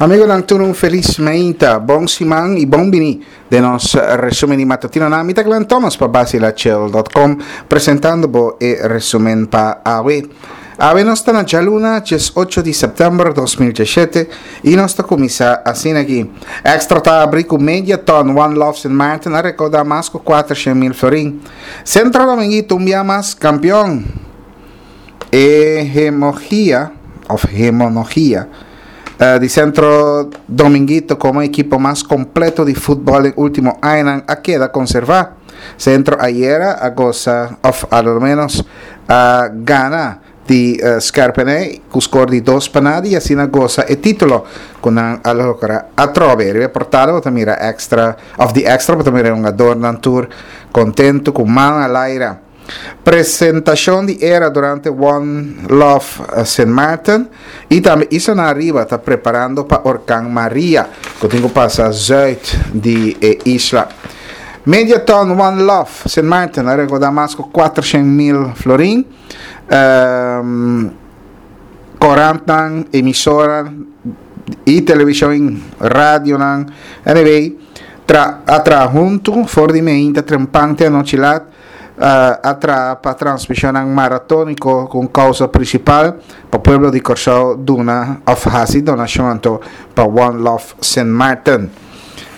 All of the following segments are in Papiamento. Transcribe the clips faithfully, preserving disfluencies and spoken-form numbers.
Amigonan, tur un felis mainta, bon siman i bon bini den nos resumen di matutino. Na mi ta Glenn Thomas pa basilachel punto com, presentando bo e resumen pa awe. Awe nos ta na djaluna, diesocho di sèptèmber dos mil diesshete, i nos ta kuminsá asina aki. Extra ta habri ku Mediathon One Love Saint Martin a rekoudá mas ku kuatershen mil florin. Centro Dominguito un bia mas kampeon. E hemogia, of hemonogia, uh, di Centro Dominguito komo ekipo mas kompleto di futbòl den último aña a keda konservá. Centro ayera a gosa, of al menos a gana di uh, Scarpene ku score di dos pa nada i asina gosa e título ku nan a logra atrobe. Riba portada bo ta mira Extra, of di Extra bo ta mira un adornan tur kontentu ku man al aire. Presentashon di era durante One Love eh, Saint Martin i tambe Isla Ariba ta preparando pa Orkan Maria, ku tin ku pasa zuid di eh, isla. Mediathon One Love Saint Martin a rekoudá mas ku kuatershen mil florin. Um, Korantnan, emisora i televishon, radionan, anyway, tra, a traha huntu, for di mainta trempan te anochi lat, uh, a traha pa transmishon maratóniko ku kousa prinsipal pa pueblo di Kòrsou duna of hasi donashon pa One Love Saint Martin.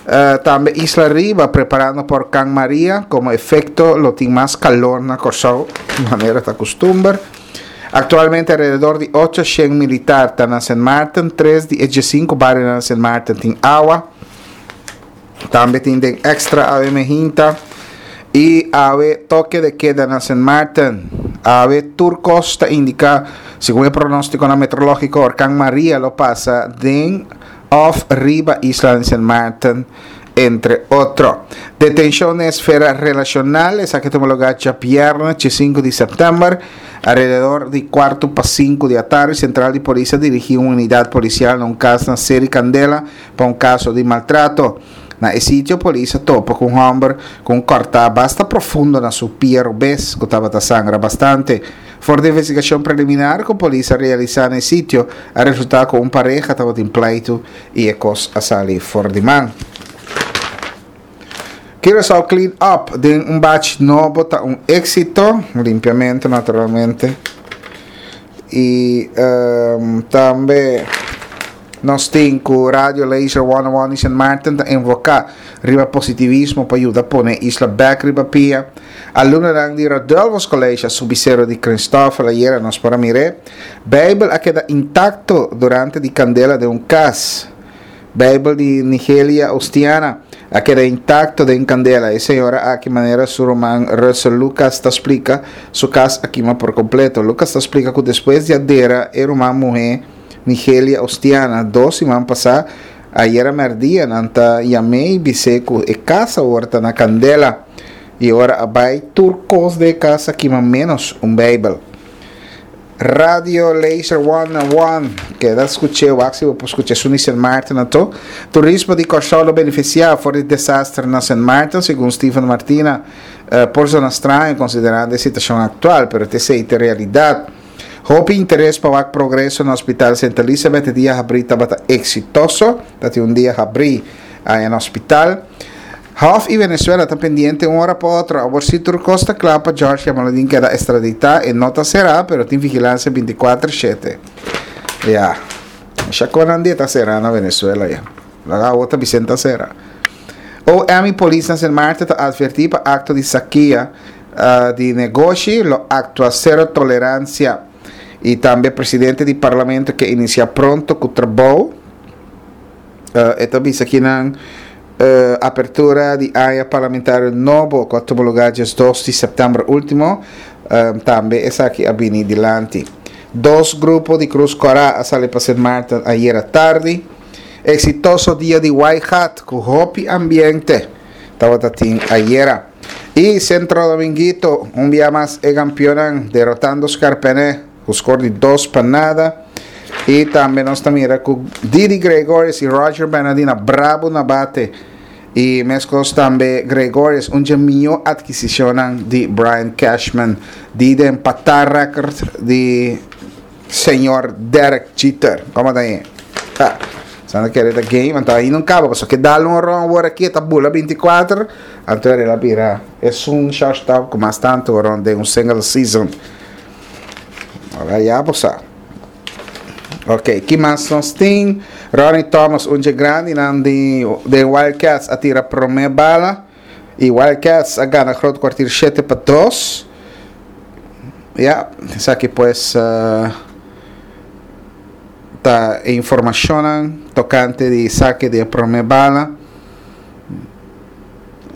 Uh, tambe Isla Riba preparando pa Orkan Maria, komo efekto lo tin mas kalor na Kòrsou, manera ta kustumber. Aktualmente alrededor di ochoshen militar ta na Saint Martin, tres di e sinku bario na Saint Martin tin awa. Tambe tin den Extra awe mainta. I awe toke de keda na Saint Martin. Awe tur kos ta indiká, segun e pronóstiko na meteorológiko, Orkan Maria lo pasa den of riba isla di Saint Martin, entre otro. Detenshon den esfera relashonal, esaki a tuma lugá djabièrnè, sinku di sèptèmber, alrededor di kuartu pa sinku di atardi, sentral di polis a dirigí un unidat polisial na un kas na Seri Candela pa un kaso di maltrato. Na e sitio, polis a topa ku un hòmber ku un kòrtá basta profundo na su pia robes, ku tabata sangra bastante. For di investigashon preliminar ku polis a realisá na e sitio, a resultá ku un pareha tabatin pleitu i e kos a sali for di man. Curaçao Clean Up den un batch nobo ta un éksito, limpiamentu naturalmente. I um, tambe nos tin ku Radio Laser one oh one di Saint Martin ta enfoká riba positivismo pa yuda pone isla bèk riba pia. Alumnonan di Radulphus College a subi Seru di Christoffel ayera, nos por a mira. Bijbel a keda intakto durante di kandela di un kas. Bijbel di Nigelia Ostiana a keda intakto den kandela. E señora aki, manera su ruman Russell Lucas ta splika, su kas a kima por kompleto. Lucas ta splika ku despues di a dera e ruman muhé Nigelia Ostiana dos siman pasá, ayera mèrdia nan ta yam'é i bis'é ku e kas awor ta na kandela. I ora a bai, tur kos den kas a kima menos un Bijbel. Radio Laser one oh one, keda skucha, wak si bo por skucha Sunny Saint Martin ato. Turismo di Kòrsou lo benefisiá for di desaster na Saint Martin, segun Steven Martina, uh, por zona straño konsiderando e situashon aktual, pero esei ta realidat. Hopi interes pa e progreso na Hospital Saint Elizabeth, dia habrí tabata eksitoso, tabatin un dia habrí ei na hospital. Hof i Venezuela ta pendiente un ora pa otro. Awor si tur kos ta kla pa George Jamaloodin keda ekstraditá e no ta será, pero tin vigilansia bintikuater shete. Ya. Chaconandi ta será na Venezuela ya. La otro Vicente será. O M Polis na Saint Martin ta atvertí pa akto di sakia uh, di negoshi, lo aktua sero toleransia. I tambe presidente di parlamento ke inisiá pronto ku trabou. Uh, e ta bisa aki na uh, apertura di aña parlamentario nobo, ku a tuma lugá dia dos di sèptèmber último, um, tambe esaki a bini dilanti. Dos grupo di Cruz Cora a sali pa Saint Martin ayera tardi. Eksitoso dia di White Hat ku hopi ambiente tabatin ayera. I Centro Dominguito, un dia mas e kampeon, derotando Scarpene, ku score di dos pa nada. I tambe nos ta mira ku Didi Gregorius i Roger Bernadina bravo na bate. I meskos tambe Gregorius, un di mihó atkisishon di Brian Cashman. Didi a empatá record di señor Derek Jeter. Kon ta ei? Ah, Esnan kere ta game, anto ainda no kaba, pasobra ke dal un horon awor aki, ta bula binti kuater, anto el a bira esun shortstop ku mas tantu horon den un single season. Ora ya bo sa. Ok, ki mas nos tin? Ronnie Thomas, un dje grandinan di den Wildcats a tira promé bala i Wildcats a gana Groot Kwartier shete pa dos. Ya, esaki pues ta e informashonnan tokante di sake di e promé bala.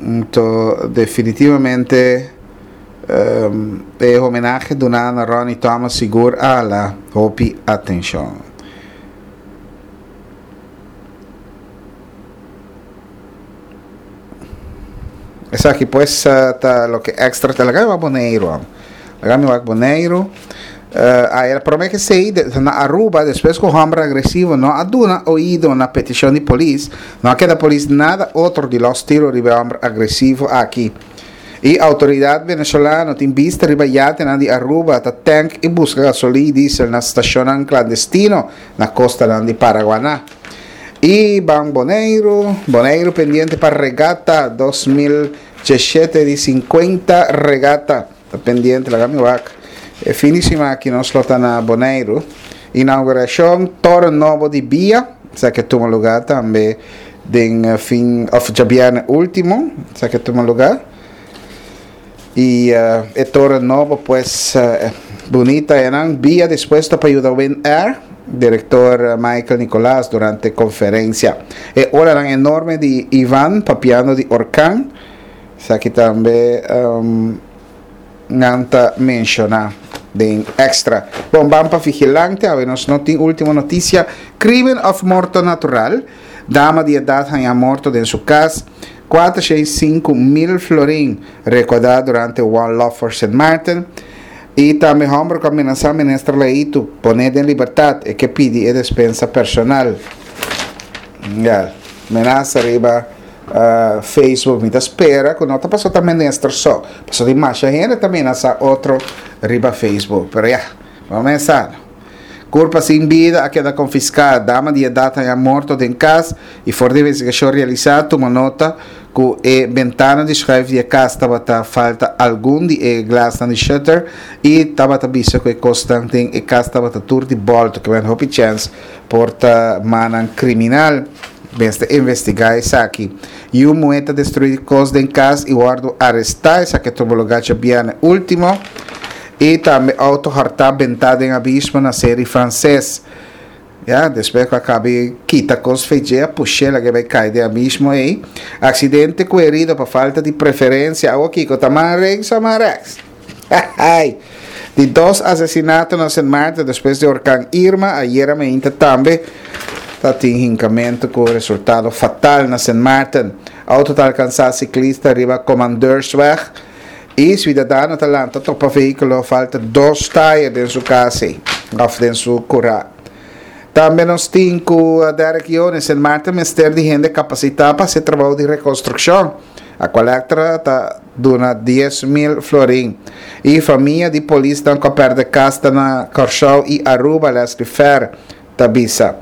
Anto definitivamente e homenahe duná na Ronnie Thomas sigur a hala hopi atenshon. Esaki pues ta loke extra ta laga mi wak Boneiru. Laga mi wak Boneiru. Ayer prome ke sei na Aruba despues ku homber agresivo no a duna oido na petishon di polis, no a keda polis nada otro di los tiro riba e homber agresivo aki. I outoridat venezolano tin bista riba yatenan di Aruba ta tank i buska gasolin i diesel na stashonnan klandestino na kostanan di Paraguaná. I ban Boneiru, Boneiru pendiente pa regata dos mil diesshete di sinkuenta regata ta pendiente laga mi wak e fin di siman aki nos lo ta na Boneiru. Inaugurashon toren nobo di Bia esaki a tuma luga tambe den fin of djabièrnè ultimo esaki a tuma luga. I e toren nobo pues bunita enan bia dispuesto pa yuda Wind Air, Director Michael Nicolaas durante conferencia. E olanan enorme di Ivan papiando di orkan, esaki tambe nan ta menciona den Extra. Bon, ban pa Vigilante, awe nos no tin ultimo noticia. Crimen of morto natural? Dama di edad haña morto den su cas. Kuater shei sinku mil florin rekordá durante One Love for Sint Maarten i tambe hòmber ku a menasá minister Leito pon'é den libertat e ke pidi e despensa personal. Ya, menasa riba Facebook mi ta spera ku no ta pasobra ta minister so, pasobra tin masha hende ta menasá otro riba Facebook pero ya, bo mes sa. Kurpa sin bida a keda konfiská. Dama di edat haña morto den kas i for di investigashon realisá tuma nota ku e bentana di schuif di e kas tabata falta algun di e glasnan di shutter i tabata bisa ku e kosnan den e kas tabata tur di bòltu ke men hopi chèns por ta mannan kriminal. Mester investigá esaki. Yu muhé ta destruí kos den kas i wòrdu arestá esaki a tuma lugá djabièrnè último. I tambe auto hortá bentá den abismo na seri Franses. Ya, despues ku a kabi kita kos feidje a push'é laga e bai kai den abismo ei. Aksidente ku herido pa falta di preferensia. Awo kiko ta man rechts o man rechts? Hahaai! Di dos asesinato na Sint Maarten despues di orkan Irma, ayera meinta tambe ta tin hinkamentu ku resultado fatal na Sint Maarten. Auto ta alkansá siklista riba Commandeursweg. E suidadano ta lanta topa vehíkulo falta dos taya den su kas ei òf den su kurá. Tambe nos tin ku Derek Jones, Sint Maarten mester di hende kapasitá pa hasi trabou di rekonstrukshon. Aqualectra ta duna dies mil florin. I famia di polisnan ku a pèrdè kas ta na Kòrsou i Aruba, Leslie Fer ta bisa.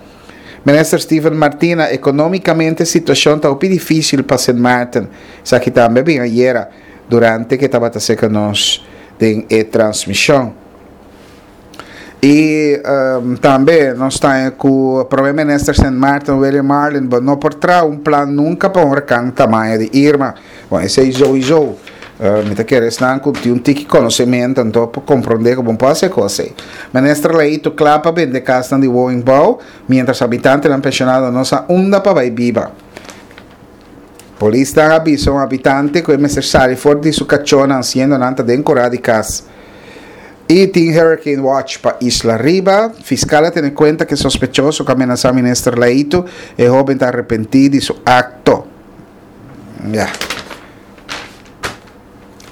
Minister Steven Martina, Ekonómikamente situashon ta hopi difísil pa Sint Maarten. Esaki tambe a bin ayera. Durante ke tabata serka nos den e transmishon. I tambe nos ta ku Prome Minister Sint Maarten William Marlin bo no por traha un plan nunka pa un orkan tamaño di Irma. Bon esei souiso mi ta kere esnan ku tin un tiki konosementu anto por komprondé ku bo no por hasi e kos ei. Minister Leito kla pa bende kasnan di woningbouw mientras habitantenan penshonado no sa unda pa bai biba. Polisnan a bisa un habitante ku e mester sali for di su kachónan siendo nan ta den korá di kas. I tin Hurricane Watch pa Isla Riba. Fiskal a tene kuenta ku e sospechoso ku a menasá Minister Leito, e hóben ta arepentí di su akto. Ya.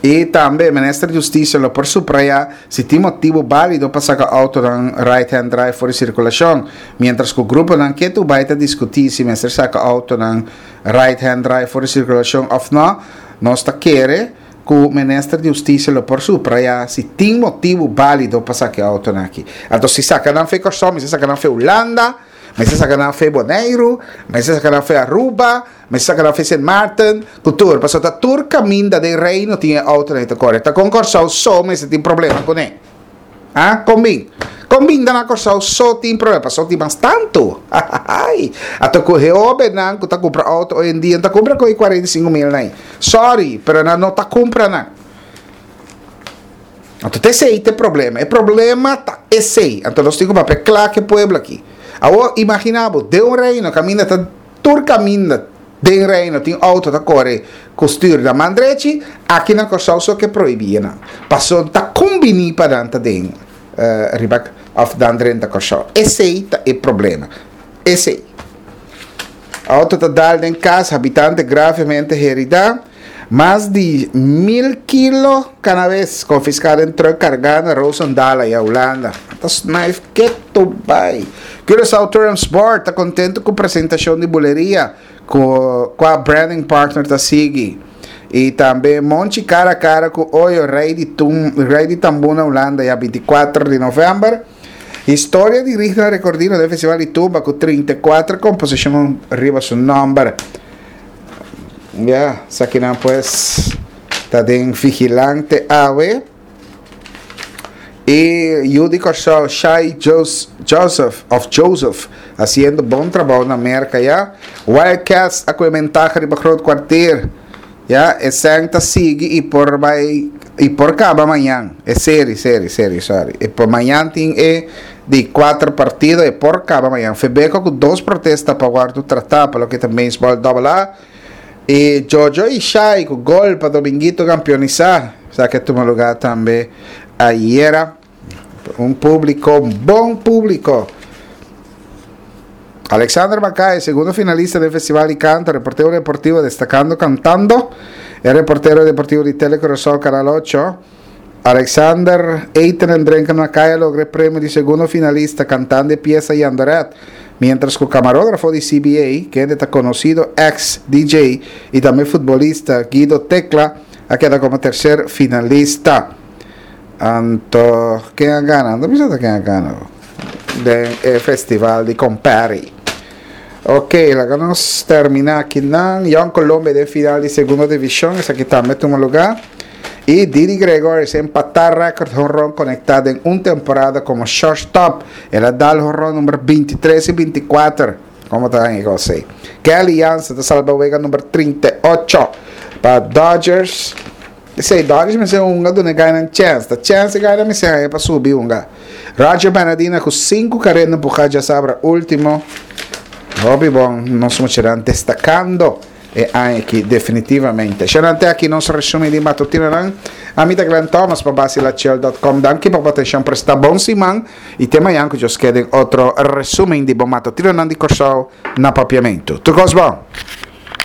I tambe Minister di Hustisia lo por suprayá si tin motibu bálido pa saka outonan right hand drive for di sirkulashon, miéntras ku gruponan ketu bai ta diskutí si mester saka outonan right hand drive for di sirkulashon òf nò. Nos ta kere ku Minister di Hustisia lo por suprayá si tin motibu bálido pa saka e outonan aki. Anto si saka nan fe Kòrsou, mester saka nan fe Hulanda. Mester saka nan fo'i Boneiru, mester saka nan fo'i Aruba, mester saka nan fo'i Sint Maarten, ku tur. Pasobra ta tur kaminda den Reino tin e outonan ta kore. Ta kon Kòrsou so mester tin problema kuné? Ah, kon bin? Kon bin ta na Kòrsou so tin problema? Pasobra tin mas tantu. Ai! Anto ku e hóbennan ku ta kumpra outo hoy en dia, no ta kumpra ku e kuarenta i sinku mil nan. Sorry, pero nan no ta kumpra nan. Anto ta esei ta e problema. E problema ta esei. Anto nos tin ku papia kla ku e pueblo aki. Awor imagina bo, den un reino kaminda ta tur kaminda den reino tin outo ta kore ku stuur na man drechi, aki na Kòrsou so ke prohibí nan. Pasobra ta kumbiní pa nan ta den riba òf nan drenta Kòrsou. Esei ta e problema. Esei. Outo ta dal den kas, habitante gravemente heridá. Mas di mil kilo kanabes konfiská den trùk kargá na Roosendaal aya Hulanda. Ta snuif ketu bai. Curaçao Tourism Board ta kontentu ku presentashon di buleria ku kua branding partner ta sigui. I tambe Monchi kara a kara ku Oyo rei di tum rei di tambú na Hulanda ya binti kuater di novèmber. Historia di Rigna Recordino den Festival di Tumba ku trinta i kuater komposishon riba su nòmber. Ya, esakinan pues ta den Vigilante awe. I yu di Kòrsou Shai Joseph of Joseph hasiendo bon trabou na Merka ya. Wildcats a kohe bentaha riba Groot Kwartier. Ya, e sèn ta sigui i por bai i por kaba mañan. E seri, seri, seri, sorry. E por mañan tin e di kuater partido, e por kaba mañan. Febeko ku dos protesta pa wòrdu tratá pa loke ta beisbòl dòbel A. I Jojo i Shai ku gol pa Dominguito kampionisá. Esaki a tuma lugá tambe ayera. Un públiko, un bon públiko. Alexander Mackay, segundo finalista den Festival di Canto, reportero deportivo destacando cantando. E reportero deportivo di Tele Curaçao Canal ocho, Alexander Eitenen Drenken Mackay a logra e premio di segundo finalista cantando e pieza Yandoret, mientras cu camarógrafo di C B A, kende ta conocido ex D J y tambe futbolista Guido Tecla, a keda como tercer finalista. Anto, ken a gana? Anto bisa ta ken a gana den e festival di Compari. Ok, laga nos termina aki nan. Jong Colombia den final di segunda división, esaki tambe tuma lugar. Y Didi Gregorius empata record honron conecta den un temporada como shortstop. El a dal honron number veintitrés y veinticuatro. Como ta en José? Kelly Jansen ta salba wega number treinta y ocho pa Dodgers. Esei, Dodgers mester hunga duna e gainan chance. Ta chance e gainan mester haya pa subi hunga. Roger Bernadina ku sinku kareda empuha djasabra ultimo. Hopi bon, nos muchanan destacando e aña aki definitivamente. Xenan te aki nos resumen di matutinonan. Ami ta Glenn Thomas pa Basilachill dot com. Danki pa bo atencion presta. Bon siman y te mañan ku Dios kede den otro resumen di bo matutinonan di Kòrsou na Papiamentu. Tur kos bon!